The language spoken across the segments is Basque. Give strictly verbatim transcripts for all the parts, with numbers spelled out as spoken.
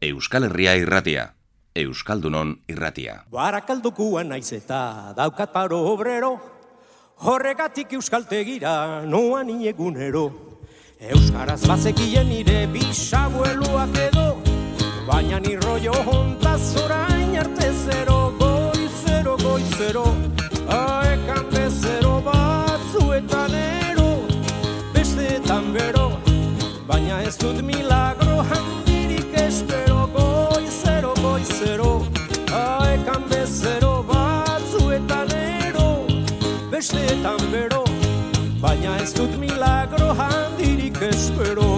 Euskal Herria irratia, Euskaldunon irratia. Barakaldokuan naiz eta daukat paro obrero, horregatik euskaltegira noan inegunero. Euskaraz bazekien nire bisabueluak edo, baina ni rollo hontaz orain arte zero, goizero, goizero, aekan bezero batzuetan ero, besteetan bero, baina ez dut milagro handirik espero, goizero, goizero, aekan bezero batzuetan ero, besteetan bero, baina ez dut milagro handirik espero.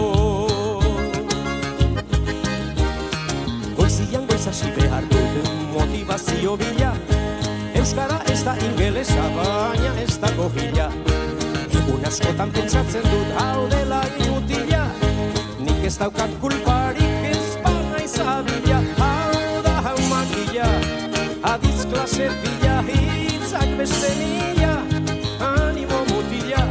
Goizian goizasi behar dut motivazio bila, euskara ez da ingelesa, baina ez da gogila. Egun askotan pentsatzen dut hau dela inutila, nik ez daukat kulparik ez bana izabila. Hau da hau makila, adiz klase pila, hitzak beste mila, animo mutila,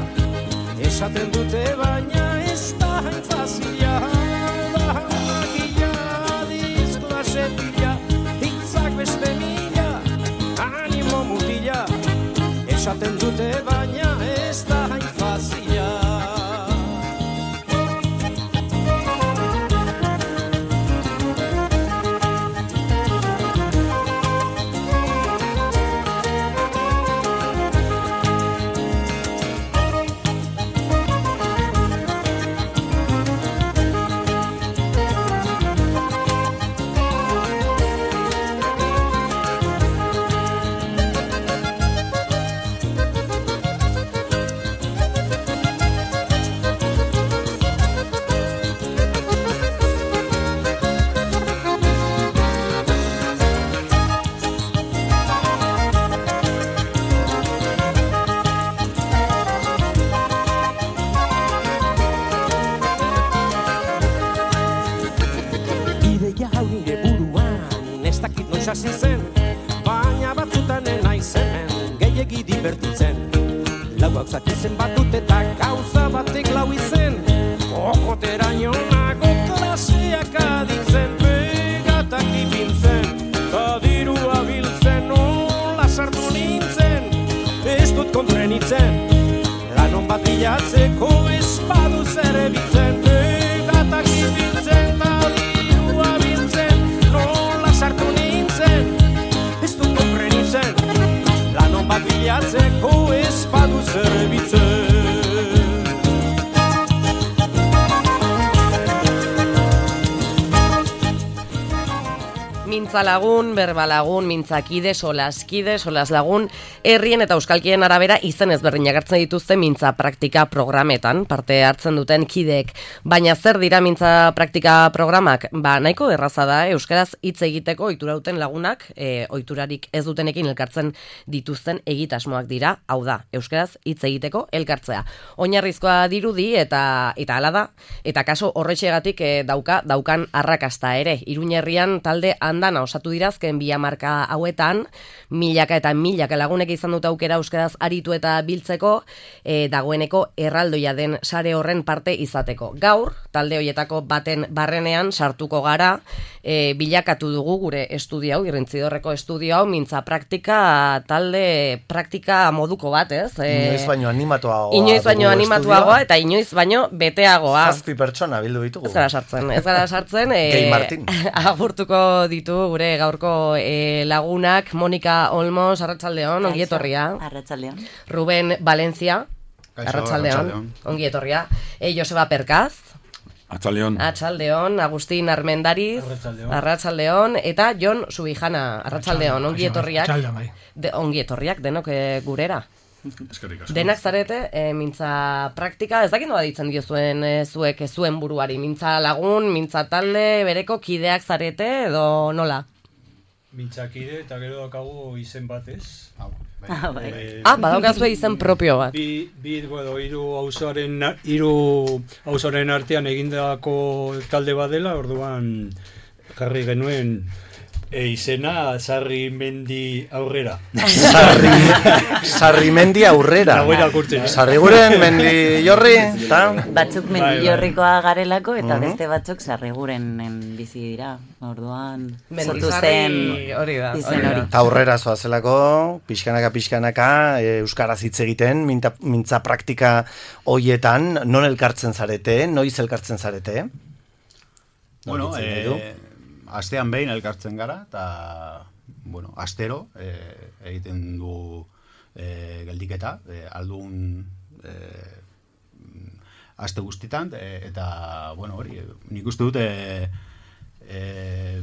esaten dute baina ez da hain fazila. Hau da hau makila, adiz klase pila, hitzak beste mila, animo mutila, esaten dute baina ez da hain fazila. Hasi zen, baina batzutan enaiz hemen gehiegi divertitzen. Lau gauzak izen bat dut eta gauza batek lau izen, okoteraino nago klaseak aditzen, begatak ipintzen, ta dirua biltzen, nola sartu nintzen, ez dut kontrenitzen, lanon bat bilatzeko ez badu zer ebitzen, begatak ipintzen, ta dirua biltzen, nola sartu nintzen, ez dut konprenitzen, lanon bat bilatzeko ez badu zerbitzen. Mintza lagun, berba lagun, mintzakide, solaskide, solaslagun, herrien eta euskalkien arabera izen ezberdinak hartzen dituzte mintza praktika programetan, parte hartzen duten kideek. Baina zer dira mintza praktika programak? Ba, nahiko erraza da, euskaraz hitz egiteko ohitura duten lagunak, e, ohiturarik ez dutenekin elkartzen dituzten egitasmoak dira, hau da, euskaraz hitz egiteko elkartzea. Oinarrizkoa dirudi eta eta hala da, eta kaso horrexegatik e, dauka daukan arrakasta ere. Iruña herrian talde andana osatu dirazken bi hamarka hauetan, milaka eta milaka lagunek izan dute aukera euskaraz aritu eta biltzeko, e, dagoeneko erraldoia den sare horren parte izateko. Gaur, talde hoietako baten barrenean sartuko gara, e, bilakatu dugu gure estudio hau, Irrintzidorreko estudio hau, mintza praktika talde praktika moduko bat, ez? E, inoiz baino animatuagoa. Inoiz baino animatuagoa eta inoiz baino beteagoa. Zazpi pertsona bildu ditugu. Ez gara sartzen, ez gara sartzen. E, Kei Martin. Agurtuko ditu gure gaurko e, lagunak, Monika Olmos, arratsaldeon, ongi etorria. Arratsaldeon. Ruben Valencia, arratsaldeon, ongi etorria. E, Joseba Perkaz, Arratsaldeon. Arratsaldeon, Agustin Armendariz, arratsaldeon, eta Jon Subijana, arratsaldeon, ongi etorriak. De, ongi etorriak denok e, gurera. Denak zarete, e, mintza praktika, ez dakit nola ditzen diozuen e, zuek e, zuen buruari, mintza lagun, mintza talde, bereko kideak zarete edo nola? Mintzakide eta gero dakagu izen batez. Ah, bai. Eh, ah, badaukazue izen propio bat. Bi, bi edo hiru auzoaren hiru auzoaren artean egindako talde bat dela, orduan jarri genuen E izena Sarri Mendi aurrera. Sarri, sarri mendi aurrera. Nago irakurtzen. Sarri guren mendi jorri, eta? Batzuk Bai, bai. mendillorrikoa garelako eta Mhm. beste batzuk sarriguren bizi dira. Orduan sortu Mendizarri zen hori da. izen hori. Eta aurrera zoazelako, pixkanaka pixkanaka, e, euskaraz hitz egiten, minta, mintza praktika hoietan, non elkartzen zarete, noiz elkartzen zarete? Bueno, Noritzen nahi du? eh, astean behin elkartzen gara, eta, bueno, astero eh, egiten du eh, geldiketa, eh, aldun eh, aste guztitan, eh, eta, bueno, hori, nik uste dut, eh, eh,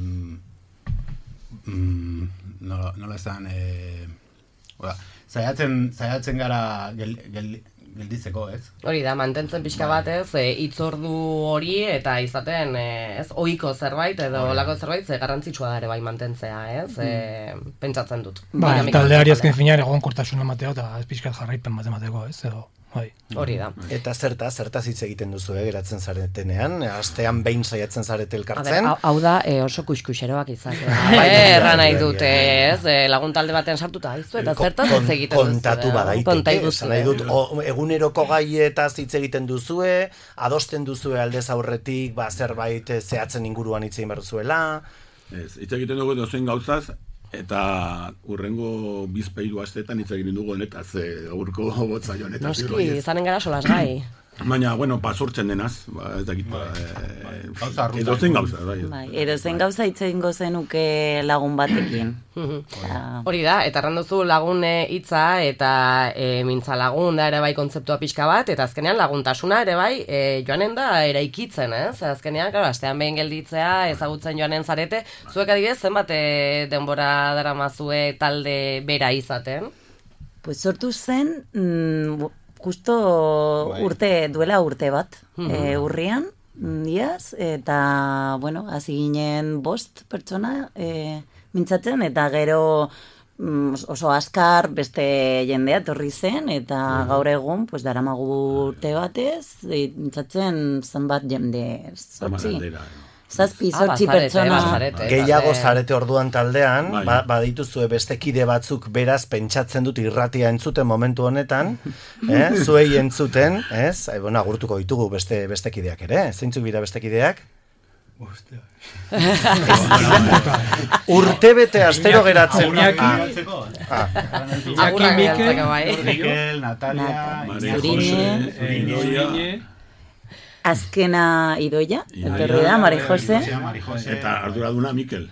mm, nola, nola esan, eh, oda, zaiatzen, zaiatzen gara gel, gel, gelditzeko, ez? Hori da, mantentzen pixka bat ez, e, hitzordu hori eta izaten e, ez, ohiko zerbait edo olako zerbait, ze garrantzitsua da ere bai mantentzea, ez, e, pentsatzen dut. Ba, Dinamika taldeari bat azken dela. finean egonkortasun emateko eta ez pixkat jarraipen bat emateko, ez, edo, bai. Hori da. Eta zertaz, zertaz hitz egiten duzu, eh, geratzen zaretenean, astean behin saiatzen zarete A ber, elkartzen. hau, hau da e, oso kuskuxeroak izatea. Bai, Eh, Erra bai, nahi bai, dute, bai. ez, e, lagun talde batean sartuta aizu eta Ko- zertaz kon- hitz egiten duzu. kontatu badaiteke, Kontaigu esan nahi dut, o, eguneroko gaietaz hitz egiten duzue, adosten duzue aldez aurretik, ba, zerbait eh, zehatzen inguruan hitz egin behar duzuela. Ez, hitz egiten dugu dozein gauzaz, eta urrengo bizpeiru asteetan hitz egiten dugu honetaz, e, gaurko botza honetaz. Noski, izanen gara solas gai. Baina, bueno, pasurtzen denaz, ba, ez dakit, ba, e, Gauza arrunt. edozein gauza, bai. Bai, edozein gauza hitz egingo zenuke lagun batekin. Eta- Hori da, eta erranduzu lagun e, hitza eta e, mintza lagun da ere bai kontzeptua pixka bat, eta azkenean laguntasuna ere bai e, joanen da eraikitzen, ez? Azkenean, claro, astean behin gelditzea, ezagutzen joanen zarete, zuek adibidez zenbat e, denbora daramazue talde bera izaten? Pues sortu zen, mm, justo Bai. urte, duela urte bat, Mhm. e, urrian, mm, iaz, eta, bueno, hasi ginen bost pertsona e, mintzatzen, eta gero mm, oso askar beste jendea etorri zen, eta gaur egun, pues, daramagu urte batez, e, mintzatzen zenbat jende, zortzi, Aldera. zazpi, Ah, zortzi bazarete, pertsona. bazarete, Gehiago talde- zarete orduan taldean, Bai. ba, badituzue beste kide batzuk beraz pentsatzen dut irratia entzuten momentu honetan, eh? zuei entzuten, ez? E, bueno, agurtuko ditugu beste beste kideak ere, zeintzuk dira beste kideak? Urtebete astero geratzen. Iñaki. Ah, Agurrak Mikel, bidaltzeko bai. Mikel, Natalia, Maria Zurine. Jose, Idoia, Azkena Idoia, Idoia. etorri da, Mari Jose. Mari Jose. eta arduraduna Mikel.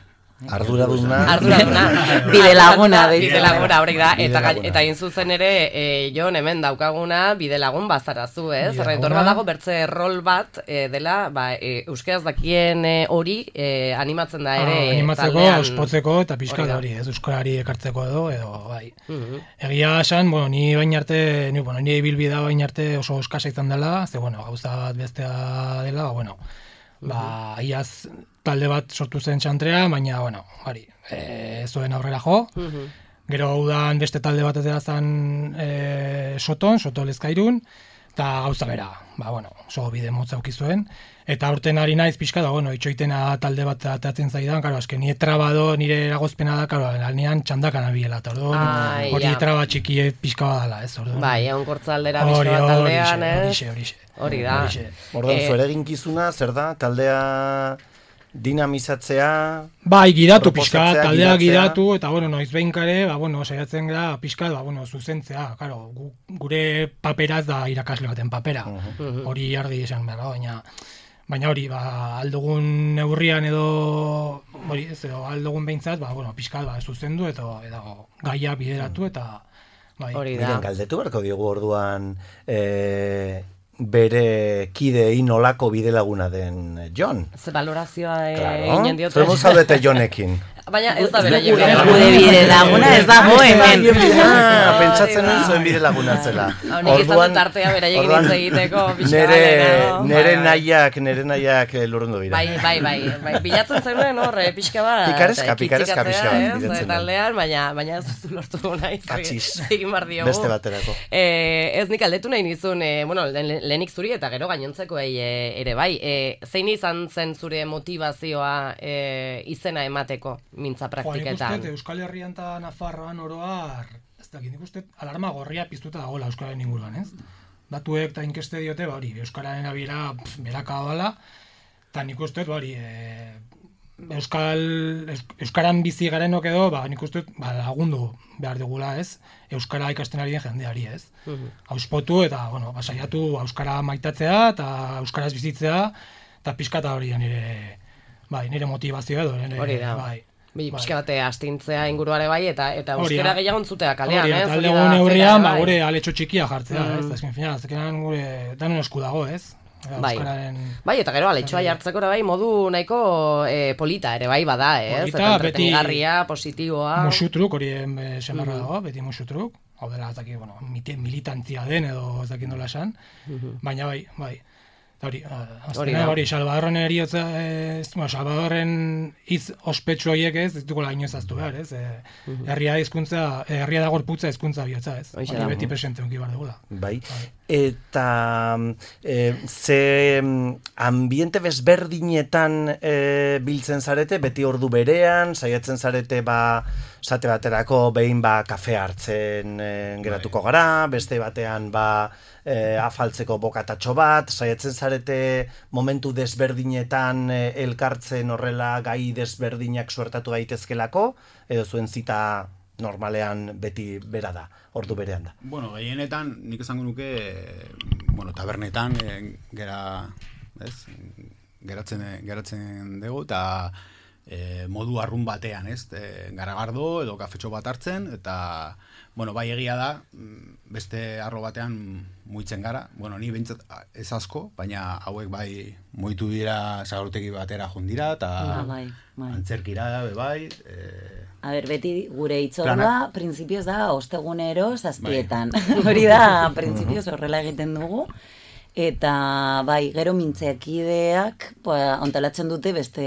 arduraduna. Arduraduna. Bide laguna, deitzen Bide laguna, hori da. Bide Eta, gai- laguna. eta hain zuzen ere, e, Jon hemen daukaguna bide lagun bazarazu, ez? Bide Zerretor laguna. badago bertze rol bat e, dela, ba, e, euskeraz dakien e, hori e, animatzen da ere. Ah, animatzeko, taldean. ospotzeko eta pixka Hori da. hori, ez euskarari ekartzeko edo, edo, bai. Mhm. Egia esan, bueno, ni bain arte, ni, bueno, ni ibilbidea bain arte oso eskasa izan dela, ze, bueno, gauza bat bestea dela, ba, bueno, ba, iaz talde bat sortu zen txantrea, baina, bueno, hori, e, ez zuen aurrera jo, Mhm. gero udan beste talde bat atera zen e, Soton, Soto Lezkairun, eta gauza bera, ba, bueno, oso bide motza auki zuen, eta aurten ari naiz pixka da, bueno, itxoitena talde bat ateratzen zaidan, karo, eske nire trabado, nire eragozpena da, karo, alnean txandakan abiela, eta orduan, Ai, hori ja. traba txikie pixka badala, ez, orduan. Bai, egon kortzaldera Hori, bizko bat hori, taldean, ez? horixe, horixe. Hori da. Horixe. Orduan, Eh, zure eginkizuna, zer da? Taldea dinamizatzea, Bai, gidatu pixka, Proposatzea, taldea gidatzea. gidatu, eta, bueno, noiz behinkare, ba, bueno, saiatzen gara pixka, ba, bueno, zuzentzea, claro, gu, gure paperaz da irakasle baten papera, hori argi esan behar, da, baina, baina hori, ba, aldugun neurrian edo, hori, ez, edo aldugun behintzat, ba, bueno, pixka, ba, zuzendu, eta, edo, gaia bideratu, eta, bai. Hori da. Miren, galdetu beharko diogu orduan e, bere kideei nolako bidelaguna den Jon. Ze valorazioa e, Claro, egin diote. zer zaudete Jonekin. Baina ez da bera Gure, jokera. gure bide laguna ez dago hemen. Ah, pentsatzen nuen zuen bide laguna zela. Hau nik izan dut artea beraiekin orduan, hitz egiteko pixka nere, bat, lehenago. nere Bai, bai. nahiak, nere nahiak eh, lurrundu dira. Bai, bai, bai, bai, bilatzen zenuen hor, eh, pixka bat. Pikareska, eta pikareska kitzikatzea, pixka bat ez, bilatzen nuen. taldean, baina, baina ez duzu lortu nahi. Katxiz. Egin bar diogu. Beste baterako. Eh, ez nik aldetu nahi nizun, eh, bueno, lehen- lehenik zuri eta gero gainontzekoei eh, ere bai. Eh, zein izan zen zure motivazioa eh, izena emateko? mintza Jo, nik praktiketan? uste, Euskal Herrian eta Nafarroan oroar, ez dakit, nik uste, alarma gorria piztuta dagoela Euskararen inguruan, ez? Datuek eta inkeste diote, ba, hori, Euskararen abiera beraka dela, eta nik uste, ba, hori, e, Euskal, Euskaran bizi garenok edo, ba, nik uste, ba, lagundu behar digula, ez? Euskara ikasten ari den jendeari, ez? Mhm. Auspotu eta, bueno, ba, saiatu Euskara maitatzea eta Euskaraz bizitzea, eta pixkata hori da nire, bai, nire motivazioa edo, nire, Hori da. bai. Bi, bai. pixka bate astintzea inguruare bai, eta eta Hori euskera da. gehiago entzutea kalean, Hori, ez? eta Hori alde da, gune zera, hurrian, ba, bai. gure aletxo txikia jartzea, Mm. ez? Azken finean, azkenan gure danon esku dago, ez? Bai. Euskararen... Bai, eta gero aletxoa jartzeko ere bai modu nahiko eh, polita ere bai bada, ez? Polita, Eta beti- entretenigarria, positiboa. Musutruk, hori eh, semarra Mhm. dago, beti musutruk. Hau dela, ez dakit, bueno, mite- militantzia den edo ez dakit nola esan. Mhm. Baina bai, bai. Eta hori, Hori azkenean da. hori, Salvadorren eriotza, ez, bueno, Salvadorren hitz ospetsu horiek ez, ez dugula inoiz aztu behar, ez? E, herria hizkuntza, herria da gorputza hizkuntza bihotza, ez? Hoxe Hori da. beti presente onki behar dugula. Bai. Eta e, ze mm, ambiente bezberdinetan e, biltzen zarete, beti ordu berean, saiatzen zarete ba, sate baterako behin ba kafe hartzen e, geratuko gara, beste batean ba e, afaltzeko bokatatxo bat, saiatzen zarete momentu desberdinetan e, elkartzen horrela gai desberdinak suertatu daitezkelako, edo zuen zita normalean beti bera da, ordu berean da. Bueno, gehienetan, nik esango nuke, eh, bueno, tabernetan eh, gera, ez, geratzen, geratzen dugu, eta eh, modu arrun batean, ez, eh, garagardo edo kafetxo bat hartzen, eta, bueno, bai egia da, mm, beste arlo batean muitzen gara, bueno, ni behintzat ez asko, baina hauek bai muitu dira sagarutegi batera jundira, eta Ah, bai, bai. antzerkira, be bai, eh, A ber, beti gure hitzordua, Planak. printzipioz da, ostegunero zazpietan. Hori da, printzipioz horrela egiten dugu. Eta, bai, gero mintzekideak, ba, ontalatzen dute beste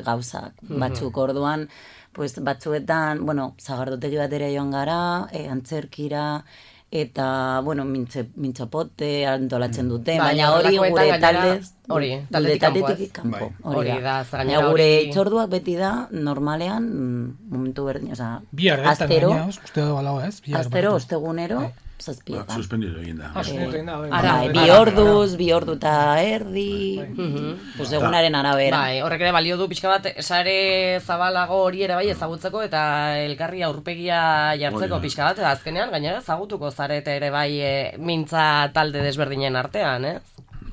gauzak. Batzuk orduan, pues, batzuetan, bueno, zagardotegi batera joan gara, e, antzerkira, eta, bueno, mintze, mintzapote antolatzen dute, Bai, baina hori horrelakoetan gure gainera, taldez, hori, gure taldetik kanpo, taldetik ez? kanpo. Bai. Hori da, Baina gainera gure hori- itzorduak beti da, normalean, mm, momentu berdin, oza, Bihar, ez? astero, Gainera, uste dugu alago, ez? Bihar, astero, barkatu. ostegunero, Bai. zazpietan. Suspendido egin da. Ah, suspenditu egin da, bai. Ara, Bai, bai, bi ara, orduz, bi ordu eta erdi, pues egunaren arabera. Bai, horrek ere balio du pixka bat sare zabalago hori ere bai ezagutzeko eta elkarri aurpegia jartzeko Hori da. pixka bat, eta azkenean gainera ezagutuko zarete ere bai e, mintza talde desberdinen artean, ez?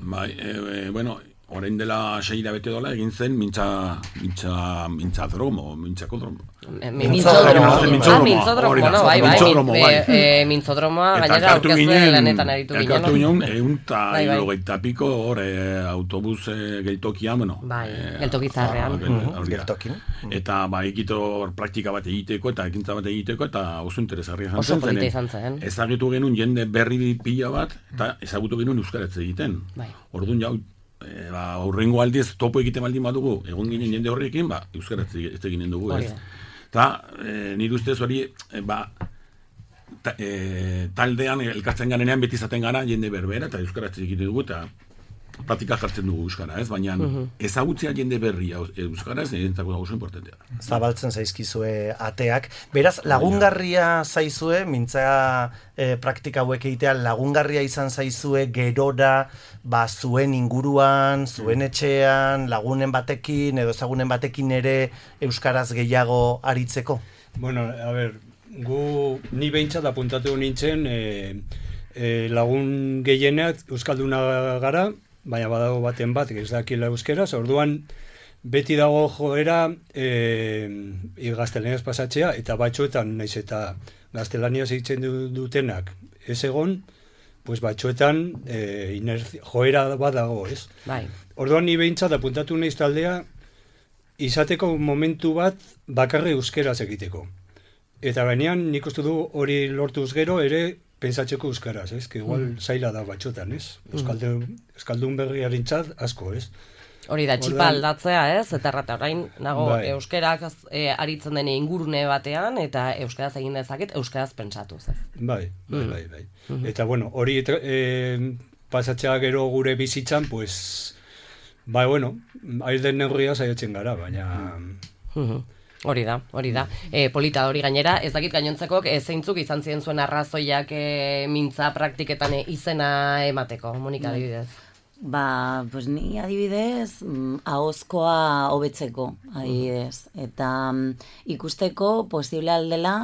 Bai, e, e, bueno, orain dela sei hilabete dola egin zen mintza, mintza, mintzadromo, mintzakodromo. E, Mintzodromo. Mintzodromo. Ah, Mintzodromo, mintzodromo, hori da, no, bai, bai. mintzodromo, min- bai. e, e, mintzodromoa Eta gainera elkartu aurkezle ginen, lanetan aritu ginen. elkartu ginen, egun eta Bai, bai. hirurogeita piko, hor, e, autobus e, geltokian, bueno. Bai, e, geltoki zaharrean. ah, gel- Mhm, hori da. geltokin. Eta, ba, egito hor praktika bat egiteko, eta ekintza bat egiteko, eta oso interesgarria izan Oso zen, polita zeren izan zen. ezagutu genuen jende berri pila bat, eta ezagutu genuen euskaraz egiten. Bai. Orduan jau, e, ba, aurrengo aldiz topo egiten baldin badugu, egon ginen jende horrekin, ba, euskaraz ez eginen dugu, Hori ez. da. Eta, e, nire ustez hori, e, ba, ta, e, taldean elkartzen garenean beti izaten gara jende berbera, eta euskaraz egiten dugu, eta praktika jartzen dugu euskara, ez? Baina ezagutzea jende berria euskaraz, nirentzako da oso importantea. Zabaltzen zaizkizue ateak. Beraz, lagungarria zaizue, mintza e, praktika hauek egitea, lagungarria izan zaizue gerora, ba, zuen inguruan, zuen etxean, lagunen batekin, edo ezagunen batekin ere euskaraz gehiago aritzeko. Bueno, a ber, gu ni behintzat apuntatu nintzen e, e, lagun gehienak euskalduna gara, baina badago baten bat, ez dakila euskeraz, orduan beti dago joera e, gaztelaniaz pasatzea, eta batxoetan, naiz eta gaztelaniaz egiten du- dutenak ez egon, pues batxoetan e, inerzi, joera bat dago, ez? Bai. Orduan ni behintzat apuntatu naiz taldea izateko momentu bat bakarri euskeraz egiteko. Eta gainean nik uste du hori lortuz gero ere pentsatzeko euskaraz, ez? Que igual zaila da batxotan, ez? Euskaldun, euskaldun berriarentzat asko, ez? Hori da, txipa Orduan- aldatzea, ez? Eta errata orain nago Bai. euskerak e, aritzen den ingurune batean, eta euskaraz egin dezaket, euskaraz pentsatuz, ez? Bai, bai, Mm. bai, bai. Eta bueno, hori tra- eh, pasatzea gero gure bizitzan, pues, bai, bueno, ail den neurria saiatzen gara, baina... Mhm. Hori da, hori da. E, polita hori gainera, ez dakit gainontzeko e, zeintzuk izan ziren zuen arrazoiak e, mintza praktiketan e, izena emateko, Monika adibidez. Ba, pues ni adibidez, mm, ahozkoa hobetzeko, adibidez. Eta mm, ikusteko posible aldela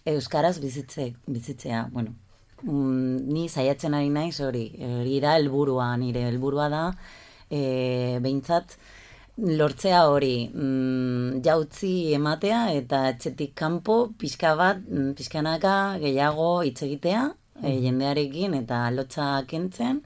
euskaraz bizitze, bizitzea. Bueno, mm, ni saiatzen ari naiz hori, hori da helburua, nire helburua da, e, behintzat, lortzea hori, mm, jautzi ematea eta etxetik kanpo pixka bat, mm, pixkanaka gehiago hitz egitea, e, jendearekin eta lotza kentzen,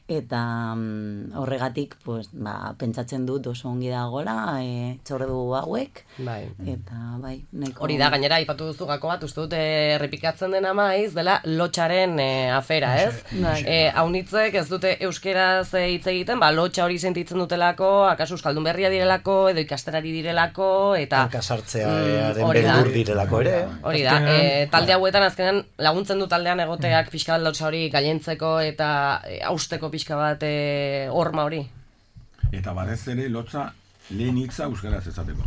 eta mm, horregatik pues, ba, pentsatzen dut oso ongi dagoela e, txordu hauek, bai. Eta bai, nahiko... Hori da, gainera, aipatu duzu gako bat, uste dut errepikatzen dena maiz, dela lotxaren e, afera, ez? Bai. E, haunitzek ez dute euskeraz e, hitz egiten, ba, lotxa hori sentitzen dutelako, akaso euskaldun berria direlako, edo ikasterari direlako, eta... Hankasartzearen mm, beldur direlako ere. Hori da, e, talde hauetan azkenean laguntzen du taldean egoteak pixka bat lotxa hori gailentzeko eta e, hausteko pixka bat e, horma hori. Eta batez ere lotza lehen hitza euskaraz ezateko.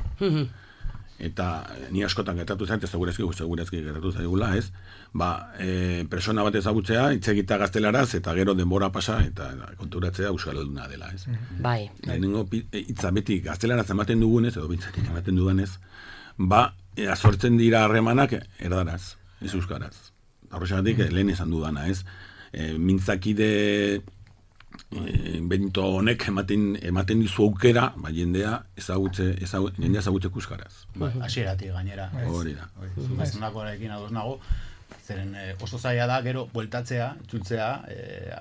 Eta ni askotan gertatu zait, ez segurazki, segurazki gertatu zaigula, ez? Ba, e, persona bat ezagutzea, hitz egitea gaztelaraz, eta gero denbora pasa, eta konturatzea euskalduna dela, ez? Bai. Lehenengo hitza beti gaztelaraz ematen dugunez, edo bintzatik ematen dudanez, ba, e, azortzen dira harremanak erdaraz, ez euskaraz. Horrexagatik lehen esan dudana, ez? E, mintzakide e, bento honek ematen, ematen dizu aukera, ba, jendea ezagutze, ezagut, jendea ezagutze euskaraz. Ba, hasieratik gainera. Hori da. Zuzanakoarekin ados nago, zeren eh, oso zaila da, gero, bueltatzea, itzultzea, eh,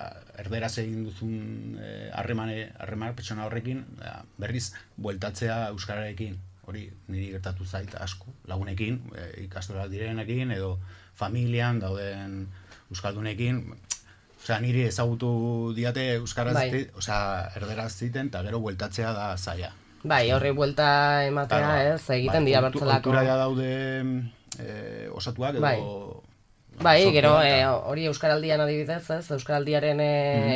erderaz egin duzun harremane, eh, harreman pertsona horrekin, eh, berriz, bueltatzea euskararekin. Hori niri gertatu zait asko, lagunekin, eh, ikastoral direnekin, edo familian dauden euskaldunekin, osea, niri ezagutu diate euskaraz, bai. osea, erderaz ziten, eta gero bueltatzea da zaila. Bai, horri buelta ematea, Claro, ez, egiten bai, dira kultu- bertzelako. Kultura ja daude eh, osatuak, edo... Bai. Bai, sortua gero eta- e, hori Euskaraldian adibidez, ez? Euskaraldiaren e,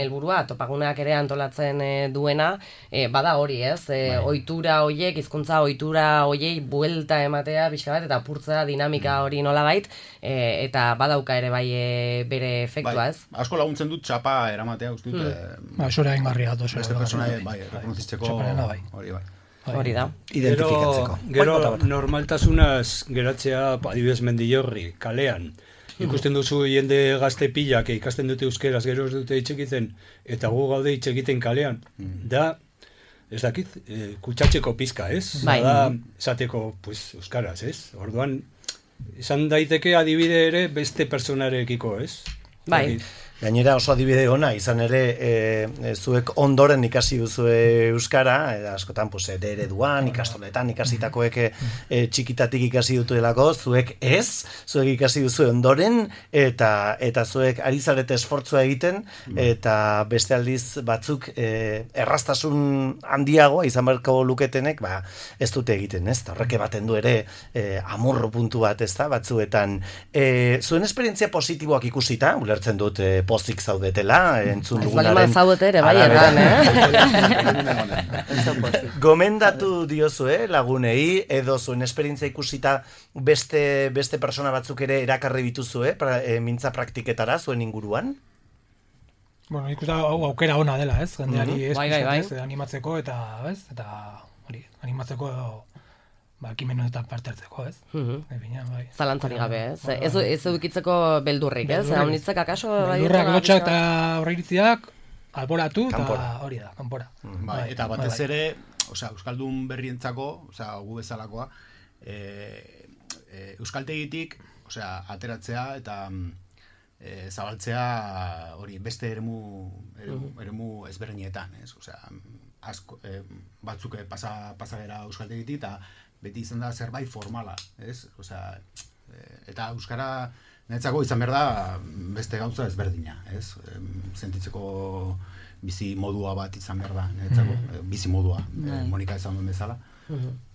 helburua, topaguneak ere antolatzen e, duena, e, bada hori, ez? E, ohitura hoiek, hizkuntza ohitura hoiei buelta ematea pixka bat eta apurtzea dinamika hori nolabait, e, eta badauka ere bai e, bere efektua, bai, ez? asko laguntzen dut txapa eramatea, uste dut. Mm. eh, Ba, zure egingarria dut. beste pertsona, bai, rekonozitzeko, Txaparena, bai. hori bai. Hori da. Identifikatzeko. Gero, Bai, bota, bota. normaltasunaz geratzea, adibidez Mendillorri, kalean. Ikusten duzu jende gazte pilak ikasten dute euskeraz, gero ez dute hitz egiten, eta gu gaude hitz egiten kalean. Da, ez dakit, e, kutsatxeko pizka, ez? Bai. Da, esateko, pues, euskaraz, ez? Orduan, izan daiteke adibide ere beste personarekiko, ez? Bai. Dakit. Gainera oso adibide ona, izan ere e, e, zuek ondoren ikasi duzue euskara, e, askotan pues, ere ereduan, ikastoletan ikasitakoek e, e, txikitatik ikasi dutelako, zuek ez, zuek ikasi duzue ondoren, eta eta zuek ari zarete esfortzua egiten, eta beste aldiz batzuk e, erraztasun handiago izan beharko luketenek, ba, ez dute egiten, ez? Eta horrek ematen du ere e, amorro puntu bat, ez da, batzuetan. E, zuen esperientzia positiboak ikusita, ulertzen dut e, pozik zaudetela, entzun Ez bali dugunaren zaudete ere, bai, arabera. erran, eh? Gomendatu diozue lagunei, edo zuen esperientzia ikusita beste, beste persona batzuk ere erakarri bituzue, pra, e, mintza praktiketara zuen inguruan? Bueno, ikusta hau aukera ona dela, ez? Jendeari ez, Bai, bai, bai. ez, animatzeko eta, ez? Eta hori, animatzeko ba, ekimenetan parte hartzeko, ez? Mhm. Epina, bai. Zalantzarik gabe, ez? Bai, bai. Ez, ez edukitzeko beldurrik, ez? Beldurrik. Haunitzek akaso... bai, Beldurrak, dutela lotxak pixka eta bat? horreiritziak alboratu, eta Kanpora. hori da, kanpora. Bai, eta bai, batez bai. ere, osea, euskaldun berrientzako, osea, gu bezalakoa, e, e, euskaltegitik, osea, ateratzea eta e, zabaltzea hori beste eremu, eremu, eremu ezberdinetan, ez? Osea, asko, e, batzuk e, pasa, pasagera euskaltegitik eta beti izan da zerbait formala, ez? Osea, e, eta euskara netzako izan behar da beste gauza ezberdina, ez? Em, sentitzeko bizi modua bat izan behar da, netzako, bizi modua, Bai. Monika esan duen bezala,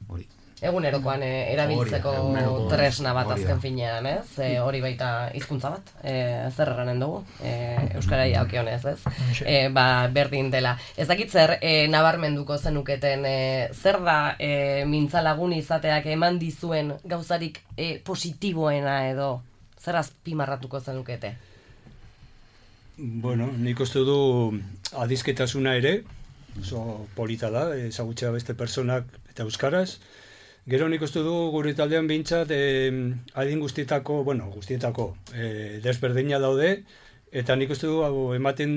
hori. Egunerokoan e, erabiltzeko Hori da, eguneroko- tresna bat hori da. azken finean, ez? E, hori baita hizkuntza bat, e, zer erranen dugu, e, Euskarai dagokionez, ez? E, ba, berdin dela. Ez dakit zer e, nabarmenduko zenuketen, e, zer da e, mintzalagun izateak eman dizuen gauzarik e, positiboena edo, zer azpimarratuko zenukete? Bueno, nik uste du adizketasuna ere, oso polita da, ezagutzea beste personak eta euskaraz. Gero nik uste du gure taldean behintzat eh, adin guztietako, bueno, guztietako eh, desberdina daude, eta nik uste du hau ematen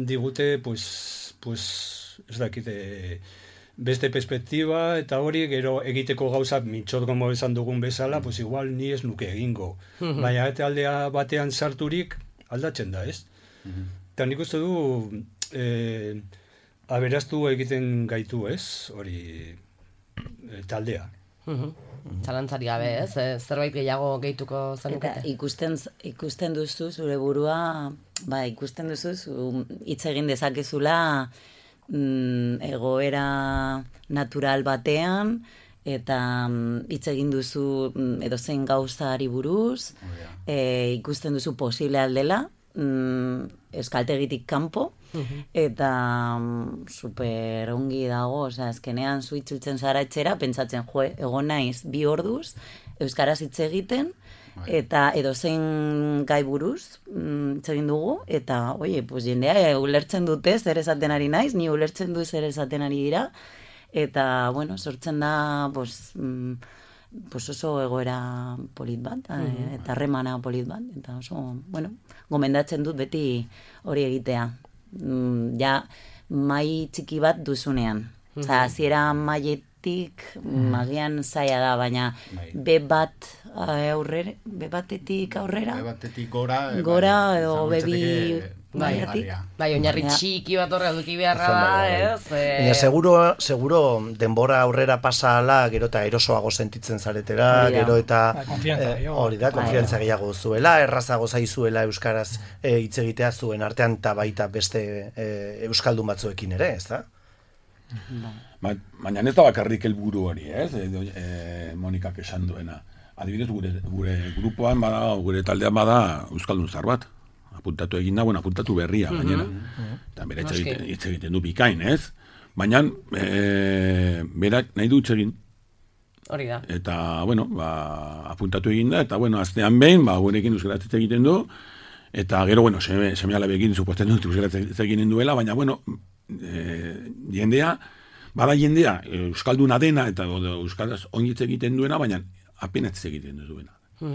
digute, pues, pues, ez dakit, eh, beste perspektiba, eta hori gero egiteko gauzak mintxot gomo esan dugun bezala, pues igual ni ez nuke egingo. Baina eta aldea batean sarturik aldatzen da, ez? Eta nik uste du eh, aberaztu egiten gaitu, ez? Hori e, taldea. Zalantzari gabe, ez? E, zerbait gehiago gehituko Eta zenukete? ikusten, ikusten duzu zure burua, ba, ikusten duzu zu hitz egin dezakezula mm, egoera natural batean, eta mm, hitz egin duzu mm, edozein gauzari buruz, e, ikusten duzu posible aldela, mm, eskaltegitik kanpo, eta mm, super ongi dago, osea, azkenean zu itzultzen zara etxera, pentsatzen, jo, egon naiz bi orduz, euskaraz hitz egiten, eta edozein gai buruz mm, hitz egin dugu, eta, oie, pues jendea e, ulertzen dute zer esaten ari naiz, ni ulertzen du zer esaten ari dira, eta, bueno, sortzen da, pues, mm, pues oso egoera polit bat, mm. eta harremana polit bat, eta oso, bueno, gomendatzen dut beti hori egitea. Mm, ja, mai txiki bat duzunean. Mm-hmm. Osa, hasiera mailetik magian zaila da, baina be bat aurrera, be batetik aurrera, Be batetik gora, e, gora bai, edo izan bebi litzateke baiatik. garria. Bai, oinarri Ja. txiki bat horre eduki beharra Bai, da, bai, bai. ez? E, Baina seguro, seguro denbora aurrera pasa ala, gero eta erosoago sentitzen zaretera, Hori da. gero eta Bai, konfiantza eh, gehiago. hori da, Bai. konfiantza gehiago zuela, errazago zaizuela euskaraz eh, hitz egitea zuen artean eta baita beste eh, euskaldun batzuekin ere, ez da? Ba, baina ez da bakarrik helburu hori, ez? E, e, Monikak esan duena. Adibidez, gure, gure grupoan bada, gure taldean bada euskaldun zar bat. Apuntatu egin da, bueno, apuntatu berria, gainera. Eta bera hitz egiten, hitz egiten du bikain, ez? Baina, e, berak nahi du hitz egin. hori da. Eta, bueno, ba, apuntatu egin da, eta, bueno, astean behin, ba, gurekin euskaraz hitz egiten du, eta gero, bueno, seme, seme alabekin suposten dut euskaraz hitz egiten duela, baina, bueno, e, jendea, bada jendea, euskalduna dena, eta o, euskaraz oinitz egiten duena, baina apenas hitz egiten duena.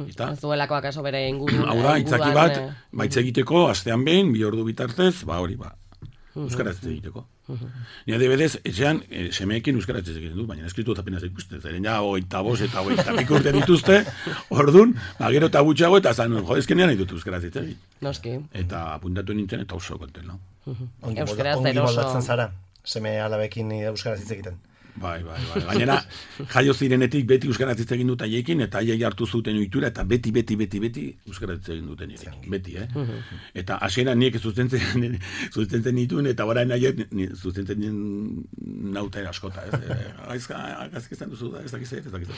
Eta, Ez duelako akaso bere inguru. hau da, itzaki inguruan, bat, eh, baitz egiteko, astean behin, bi ordu bitartez, ba hori, ba, euskaraz hitz egiteko. Ni adibidez, etxean, e, semeekin euskaraz hitz egiten du, baina eskritu eta apenas ikusten, zeren ja, hogeita bost eta hogeita piko urte dituzte, ordun, ba, gero eta gutxiago, eta zan, jo, ezkenean nahi dut euskaraz hitz egin. Noski. Eta apuntatu nintzen, eta oso konten, no? Ongi, Euskaraz molda- ongi eroso. moldatzen zara, seme alabekin euskaraz hitz egiten. Bai, bai, bai. Gainera, jaio zirenetik beti euskaraz hitz egin dut haiekin, eta haiei hartu zuten ohitura, eta beti, beti, beti, beti euskaraz hitz egin duten nirekin. Beti, eh? Eta hasiera niek zuzentzen, zuzentzen nituen, eta orain haiek ni- zuzentzen nauta askota, ez? Eh, Gaizka, gaizka izan duzu da, ez dakiz ez dakiz.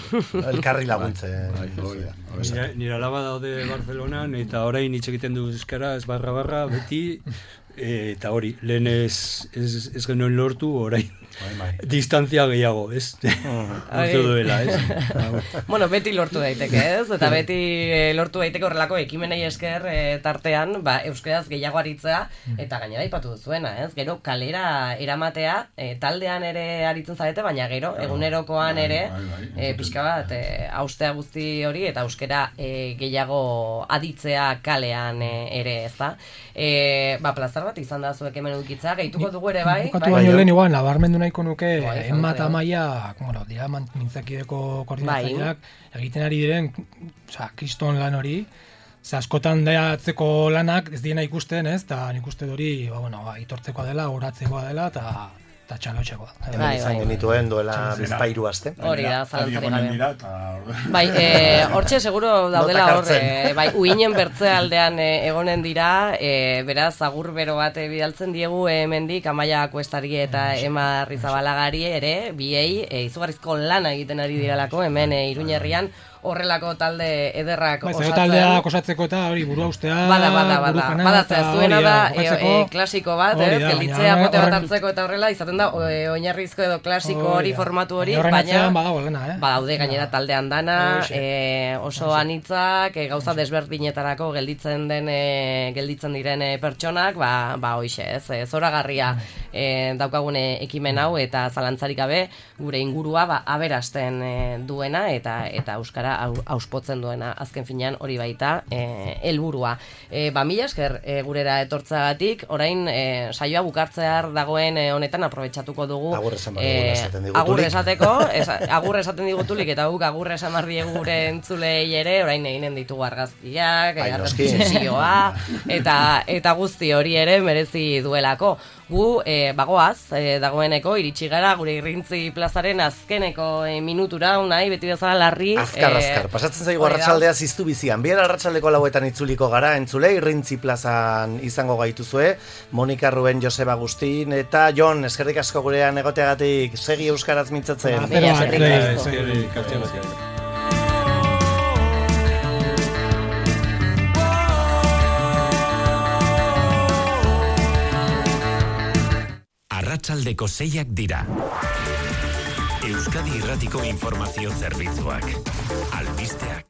Elkarri laguntze. Bai, hori da. Nire, nire alaba daude Barcelonan, eta orain hitz egiten du euskaraz barra barra beti, e, eta hori, lehen ez, ez, ez genuen lortu, orain distantzia gehiago, ez? Lortu duela, ez? Bueno, beti lortu daiteke, ez? Eta beti eh, lortu daiteke horrelako ekimenei esker eh, tartean, ba, euskaraz gehiago aritzea, eta gainera aipatu duzuena, ez? Gero kalera eramatea, eh, taldean ere aritzen zarete, baina gero egunerokoan ere, bai, bai, eh, pixka bat, eh, haustea guzti hori, eta euskera eh, gehiago aditzea kalean eh, ere, ez da? Eh, ba, plazar bat izan da zuek hemen edukitza, gehituko dugu ere, bai? Bukatu bai? baino lehen igual, nabarmendu nahiko nuke, Bai, Emma zaudete, eta Maia, bueno, dira man- mintzakideko koordinatzaileak, Bai. egiten ari diren, osea, kriston lan hori, ze askotan datzeko lanak ez diena ikusten, ez, eta nik uste hori, ba, bueno, ba, itortzekoa dela, oratzekoa dela, eta eta txalotxeko. Hemen izan genituen duela bizpairu aste. Hori da, zalantzarik gabe. Eta... Bai, hortxe seguro daudela hor, bai, uinen bertze aldean egonen dira, beraz, agur bero bat bidaltzen diegu hemendik Amaia Kuestari eta Ema Arrizabalagari ere, biei, izugarrizko lana egiten ari diralako, hemen Iruñerrian, horrelako talde ederrak osatzen. Taldea osatzeko eta hori burua ustea, bada, bada, bada, bada, zuena da, klasiko bat, gelditzea pote bat hartzeko eta horrela, izaten da, oinarrizko edo klasiko hori, formatu hori, baina, badaude gainera taldean dana, oso anitzak, gauza desberdinetarako gelditzen den, gelditzen diren pertsonak, ba, hoixe, ez, zoragarria daukagune ekimen hau, eta zalantzarik gabe, gure ingurua, ba, aberasten duena, eta euskara auspotzen duena, azken finean hori baita helburua. E, ba, mila esker e, gurera etortzagatik, orain e, saioa bukartzear dagoen e, honetan aprobetxatuko dugu. Agur esan e, agur esateko, esa, agur esaten digutulik, eta guk agur esan mardiegu gure entzulei ere, orain eginen ditugu argazkiak, argazkisesioa, eta, eta guzti hori ere merezi duelako. Gu, e, bagoaz, e, dagoeneko, iritsi gara, gure irrintzi plazaren azkeneko e, minutura, unai, beti bezala larri. Azkar, azkar, pasatzen zaigu arratsaldea ziztu bizian. Bihar arratsaldeko lauetan itzuliko gara, entzule, irrintzi plazan izango gaituzue, Monika Ruben, Joseba Agustin, eta Jon, eskerrik asko gurean egoteagatik, segi euskaraz mintzatzen. Arratsaldeko seiak dira. Euskadi Irratiko informazio zerbitzuak. Albisteak.